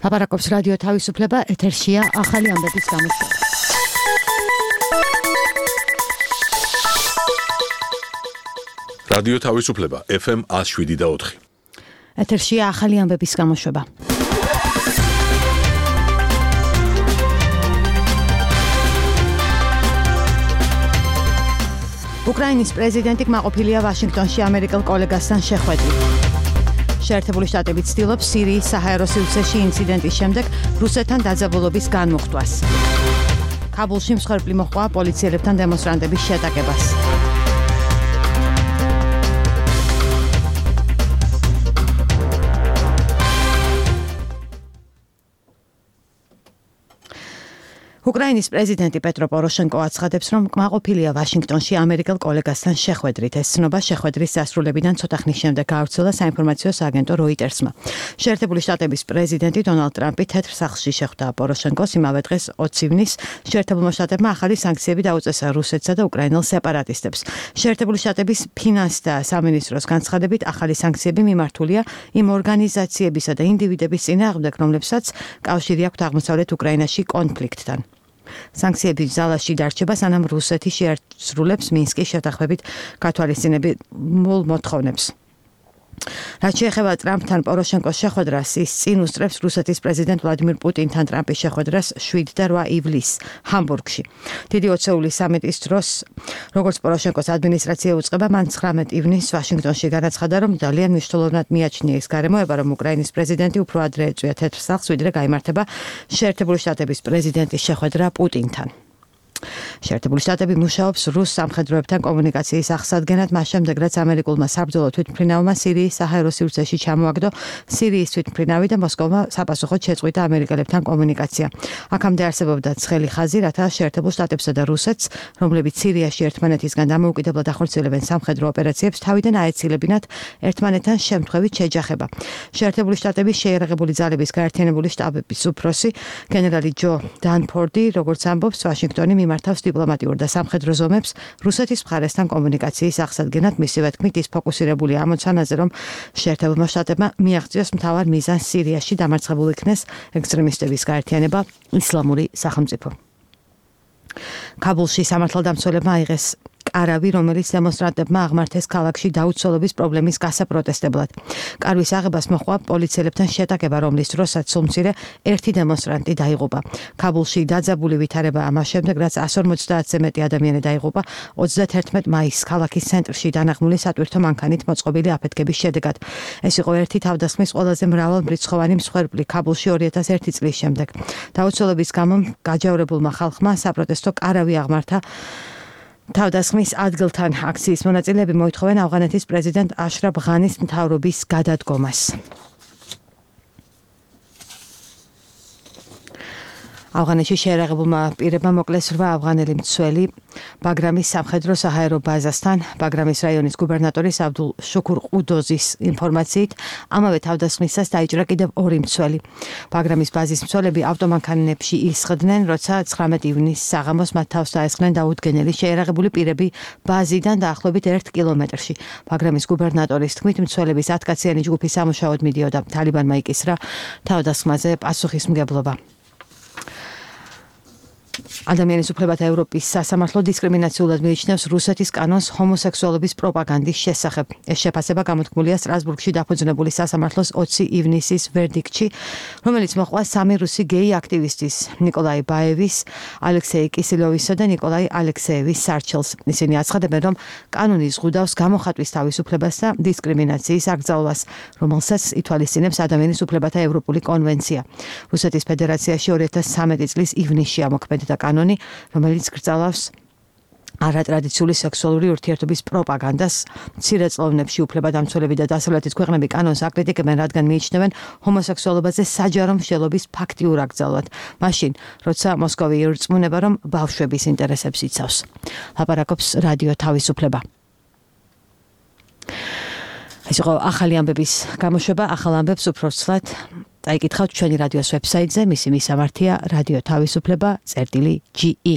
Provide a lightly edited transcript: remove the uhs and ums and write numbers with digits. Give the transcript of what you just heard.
ლაპარაკობს რადიო თავისუფლება, ეთერშია ახალი ამბების გამოშვება. რადიო თავისუფლება FM 107.4. ეთერშია ახალი ამბების გამოშვება. უკრაინის პრეზიდენტი კმაყოფილია ვაშინგტონში ამერიკელ კოლეგასთან შეხვედრით. შეერთებული შტატები ცდილობს სირიის საჰაერო სივრცეში ინციდენტის შემდეგ რუსეთთან დაძაბულობის განმუხტვას. ქაბულში მსხვერპლი მოჰყვა პოლიციელებთან დემონსტრანტების შეტაკებას. უკრაინის პრეზიდენტი პეტრო პოროშენკო აცხადებს, რომ კმაყოფილია ვაშინგტონში ამერიკელ კოლეგასთან შეხვედრით. ეს ცნობა შეხვედრის დასრულებიდან ცოტა ხნის შემდეგ გავრცელდა საინფორმაციო სააგენტო როიტერსმა. შეერთებული შტატების პრეზიდენტი დონალდ ტრამპი თეთრ სახლში შეხვდა პოროშენკოს იმავე დღეს 20 ივნის. შეერთებულმა შტატებმა ახალი სანქციები დაუწესა რუსეთსა და უკრაინელ სეპარატისტებს. შეერთებული შტატების ფინანსთა სამინისტროს განცხადებით, ახალი სანქციები მიმართულია იმ ორგანიზაციებისა და ინდივიდების წინააღმდეგ, რომლებსაც კავშირი აქვთ აღმოსავლეთ უკრაინაში კონფლიქტთან. სანქციების ზალაში დარჩება, სანამ რუსეთი შეასრულებს მინსკის შეთანხმებით გათვალისწინებულ მოთხოვნებს. რაც შეეხება ტრამპთან პოროშენკოს შეხვედრას, ის წინ უსწრებს რუსეთის პრეზიდენტ ვლადიმირ პუტინთან ტრამპის შეხვედრას 7 და 8 ივლისს ჰამბურგში. დიდი ოცეულის სამიტის დროს, როგორც პოროშენკოს ადმინისტრაცია უწყება, მან 19 ივნისს ვაშინგტონში განაცხადა, რომ ძალიან მნიშვნელოვნად მიაჩნია ის გარემოება, რომ უკრაინის პრეზიდენტი უფრო ადრე ეწვია თეთრ სახლს, ვიდრე გაიმართება შეერთებული შტატების პრეზიდენტის შეხვედრა პუტინთან. შეერთებული შტატები მუშაობს რუს სამხედროებთან კომუნიკაციის აღსადგენად, მას შემდეგ, რაც ამერიკულმა საბრძოლო თვითმფრინავმა სირიის საჰაერო სივრცეში ჩამოაგდო სირიის თვითმფრინავი და მოსკოვმა საპასუხოდ შეწყვიტა ამერიკელებთან კომუნიკაცია. აქამდე არსებობდა ცხელი ხაზი, რათა შეერთებულ შტატებსა და რუსეთს, რომლებიც სირიაში ერთმანეთისგან დამოუკიდებლად ახორციელებენ სამხედრო ოპერაციებს, თავიდან აეცილებინათ ერთმანეთთან შემთხვევით შეჯახება. შეერთებული შტატების შეიარაღებული ძალების გაერთიანებული შტაბების უფროსი გენერალი ჯო დანფორდი, როგორც ამბობს, ვაშინგტონი მართავს დიპლომატიურ და სამხედრო ზომებს რუსეთის მხარესთან კომუნიკაციის აღსადგენად. მისივე თქმით, ის ფოკუსირებულია ამოცანაზე, რომ შეერთებულმა შტატებმა მიაღწიოს მთავარ მიზანს სირიაში დამარცხებულ იქნეს ექსტრემისტების გაერთიანება ისლამური სახელმწიფო. ქაბულში სამართალდამცველებმა აიღეს კარავი, რომელიც დემონსტრანტებმა აღმართეს ქალაქში დაუცველობის პრობლემის გასაპროტესტებლად. კარვის აღებას მოჰყვა პოლიციელებთან შეტაკება, რომლის დროსაც სულმცირე ერთი დემონსტრანტი დაიღუპა. ქაბულში დაძაბული ვითარება ამას შემდეგ, რაც 150-ზე მეტი ადამიანი დაიღუპა 31 მაისს ქალაქის ცენტრში დანაღმული სატვირთო მანქანით მოწყობილი აფეთქების შედეგად. ეს იყო ერთი თავდასხმის ყველაზე მრავალმრიცხოვანი მსხვერპლი ქაბულში 2001 წლის შემდეგ. დაუცველობის გამო გაჯავრებულმა ხალხმა საპროტესტო კარავი აღმართა. თავდასხმის ადგილთან აქციის მონაწილეები მოითხოვენ ავღანეთის პრეზიდენტ აშრაფ ღანის მთავრობის გადადგომას. ავღანეთში შეიარაღებულმა პირებმა მოკლეს 8 ავღანელი მცველი ბაგრამის სამხედრო საჰაერო ბაზასთან. ბაგრამის რაიონის გუბერნატორის აბდულ შუქურ ყუდოზის ინფორმაციით, ამავე თავდასხმისას დაიჭრა კიდევ 2 მცველი. ბაგრამის ბაზის მცველები ავტომანქანებში ისხდნენ, როცა 19 ივნისს საღამოს მათ თავს დაესხნენ დაუდგენელი შეიარაღებული პირები ბაზიდან დაახლოებით 1 კილომეტრში. ბაგრამის გუბერნატორის თქმით, მცველების 10 კაციანი ჯგუფი სამუშაოდ მიდიოდა. თალიბანმა იკისრა თავდასხმაზე პასუხისმგებლობა. ადამიანის უფლებათა ევროპის სასამართლო დისკრიმინაციულად მიიჩნევს რუსეთის კანონს ჰომოსექსუალობის პროპაგანდის შესახებ. ეს შეფასება გამოთქმულია სტრასბურგში დაფუძნებული სასამართლოს 20 ივნისის ვერდიქტში, რომელიც მოჰყვა 3 რუსი გეი აქტივისტის, ნიკოლაი ბაევის, ალექსეი კისილოვისა და ნიკოლაი ალექსეევის სარჩელს. ისინი აცხადებენ, რომ კანონი ზღუდავს გამოხატვის თავისუფლებას და დისკრიმინაციის აკრძალვას, რომელსაც ითვალისწინებს ადამიანის უფლებათა ევროპული კონვენცია. რუსეთის ფედერაციაში 2013 წლის ივნისში ამოქმედა კანონი, რომელიც გრძელავს არატრადიციული სექსუალური ურთიერთობის პროპაგანდას. მცირე წლოვნებში უფლებადამცველები და დასავლეთის ქვეყნები კანონს აკრიტიკებენ, რადგან მიიჩნევენ ჰომოსექსუალობაზე საჯარო მშელობის ფაქტიურ აკრძალვად. მაშინ, როცა მოსკოვი ირწმუნება, რომ ბავშვების ინტერესებს იცავს. ლაპარაკობს რადიო თავისუფლება. ეს იყო ახალი ამბების გამოშვება. ახალ ამბებს უფრო ცვლად დაიკითხავთ ჩვენი რადიოს ვებსაიტზე, მისი მისამართია რადიო თავისუფლება.ge